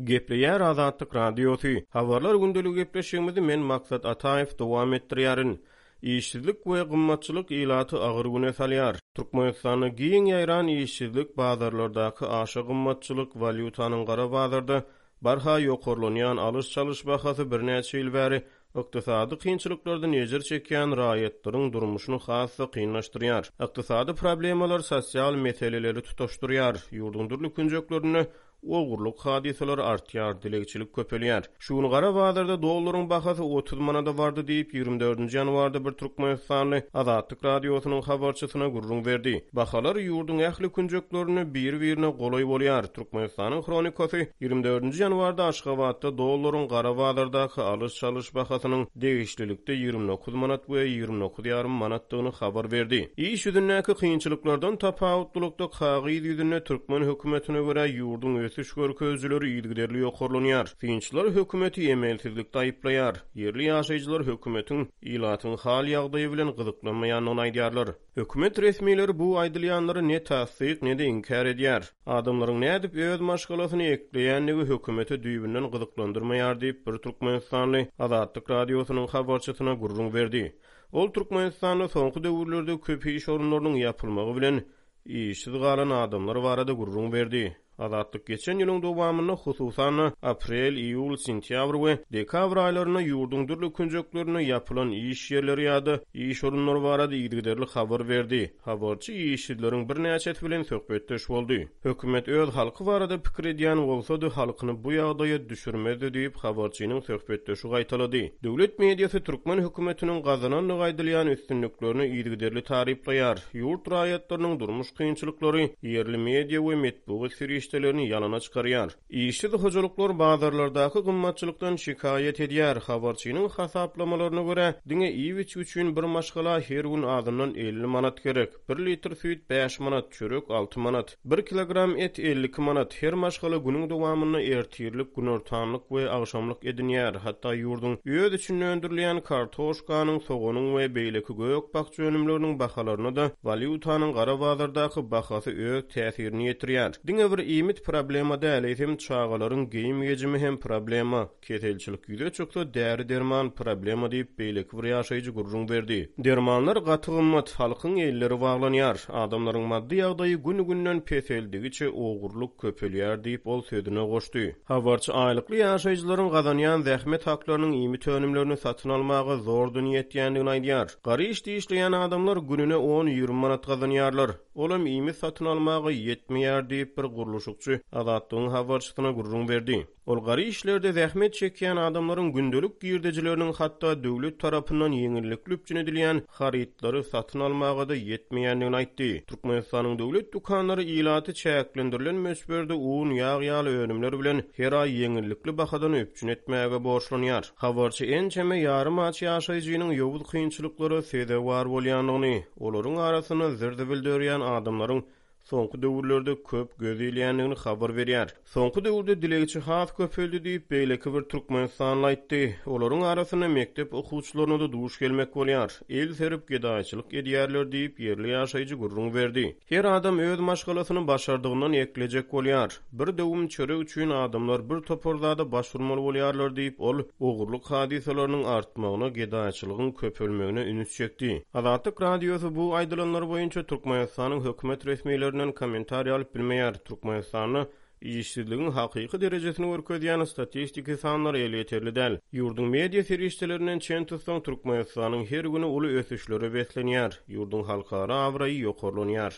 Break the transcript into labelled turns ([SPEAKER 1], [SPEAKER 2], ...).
[SPEAKER 1] Gepleýär Azatlyk Radiosy. Habarlar gündeligi gepleşigimizi men Maksat Ataýew dowam etdirýärin. Işsizlik we gymmatçylyk ilaty agyr güne salýar. Türkmenistanda giň ýaýran işsizlik, bazarlardaky aşa gymmatçylyk, walýutanyň gara bazarda barha ýokarlanýan alyş-çalyş bahasy birnäçe ýyl bäri ykdysady kynçylyklardan ejir çekýän raýatlaryň durmuşyny has-da kynlaşdyrýar. Ykdysady problemalar sosial meseleleri tutaşdyrýar. Ýurduň dürli künjeklerinde Ogurlyk hadysalary artýar, dilegçilik köpelýär. Şu gün gara bazarda dollaryň bahasy 30 manada bardy diýip, 24-nji ýanwarda bir türkmenistanly Azatlyk Radiosynyň habarçysyna gürrüň berdi. Bahalar ýurduň ähli künjeklerinde biri-birine golaý bolýar. Türkmenistanyň Hronikasy 24-nji ýanwarda Aşgabatda dollaryň gara bazardaky alyş-çalyş bahasynyň degişlilikde 29 manat we 29 ýarym manatdygyny habar berdi. Iş ýüzündäki kynçylyklardan tapawutlylykda kagyz ýüzünde türkmen hökümetine görä ýurduň ösüş görkezijileri yzygiderli ýokarlanýar. Synçylar hökümeti emelsizlikde aýyplaýar. Ýerli ýaşaýjylar hökümetiň ilatyň hal-ýagdaýy bilen gyzyklanmaýandygyny aýdýarlar. Hökümet resmileri bu aýdylýanlary ne tassyk, ne-de inkär edýär. Adamlaryň nädip öz maşgalasyny ekleýändigi hökümeti düýbünden gyzyklandyrmaýar diýip, bir türkmenistanly Azatlyk Radiosynyň habarçysyna gürrüň berdi. Ol Türkmenistanda soňky döwürlerde köp iş orunlarynyň ýapylmagy bilen işsiz galan adamlar barada gürrüň berdi. Azatlyk geçen ýylyň dowamynda, hususan-da, aprel, iýul, sentýabr we dekabr aýlarynda ýurduň dürli künjeklerinde ýapylan iş ýerleri ýa-da iş orunlary barada yzygiderli habar berdi. Habarçy işsizleriň birnäçesi bilen söhbetdeş boldy. Hökümet öz halky barada pikir edýän bolsady, halkyny bu ýagdaýa düşürmezdi diýip, habarçynyň söhbetdeşi gaýtalady. Döwlet mediasy türkmen hökümetiniň gazanandygy aýdylýan üstünliklerini yzygiderli taryplaýar. Ýurt raýatlarynyň durmuş kynçylyklary ýerli media we metbugat serişdelerini ýalana çykarýar. Işsiz hojalyklar bazarlardaky gymmatçylykdan şikaýat edýär. Habarçynyň hasaplamalaryna görä, diňe iýip-içgi üçin bir maşgala her gün azyndan 50 manat gerek. Bir litr süýt bäş manat, çörek alty manat. Bir kilogram et 52 manat. Her maşgala günüň dowamynda ertirlik, günortanlyk we agşamlyk edinýär. Hatda ýurduň öz içinde öndürilýän kartoşkanyň, soganyň we beýleki gök-bakja önümleriniň bahalaryna-da walýutanyň gara bazardaky bahasy öz täsirini ýetirýär. Diňe bir iýmit problema däl, eýsem çagalaryň geýim-gejimi hem problema. Keselçilik ýüze çyksa, däri-derman problema diýip, beýleki bir ýaşaýjy gürrüň berdi. Dermanlar gaty gymmat, halkyň elleri baglanýar. Adamlaryň maddy ýagdaýy gün-günden peseldigiçe ogurlyk köpelýär diýip, ol sözüne goşdy. Habarçy aýlykly ýaşaýjylaryň gazanýan zähmet haklarynyň iýmit önümlerini satyn almaga zordan ýetýändigini aýdýar. Gara işde işleýän adamlar gününe on-ýigrimi manat gazanýarlar. Olam iýmit satyn almaga ýetmeýär diýip, bir gurluşykçy Azatlygyň habarçysyna gürrüň berdi. Ol gara işlerde zähmet çekýän adamlaryň gündelik girdejileriniň hatda döwlet tarapyndan ýeňillikli üpjün edilýän harytlary satyn almaga-da ýetmeýändigini aýtdy. Türkmenistanyň döwlet dükanlary ilaty çäklendirilen möçberde un, ýag ýaly önümler bilen her aý ýeňillikli bahadan üpjün etmäge borçlanýar. Habarçy ençeme ýarym aç ýaşaýjynyň ýowuz kynçylyklara sezewar bolýandygyny, olaryň arasynda zir-zibil dörýän adamlaryň soňky döwürlerde köp göz ilýändigini habar berýär. Soňky döwürde dilegçi has köpeldi diýip, beýleki bir türkmenistanly aýtdy. Olaryň arasynda mekdep okuwçylaryna-da duş gelmek bolýar. El serip gedaýçylyk edýärler diýip, ýerli ýaşaýjy gürrüň berdi. Her adam öz maşgalasyny başardygyndan eklejek bolýar. Bir döwüm çörek üçin adamlar bir topar zada baş urmaly bolýarlar diýip, ol ogurlyk hadysalarynyň artmagyna, gedaýçylygyň köpelmegine üns çekdi. Azatlyk Radiosy bu aýdylanlar boýunça Türkmenistanyň hökümet resmilerinden kommentariý alyp bilmeýär. Türkmenistanda işsizligiň hakyky derejesini görkezýän statistiki sanlar elýeterli däl. Ýurduň media serişdelerinden çen tutsaň, Türkmenistanyň her güni uly ösüşlere beslenýär, ýurduň halkara abraýy ýokarlanýar.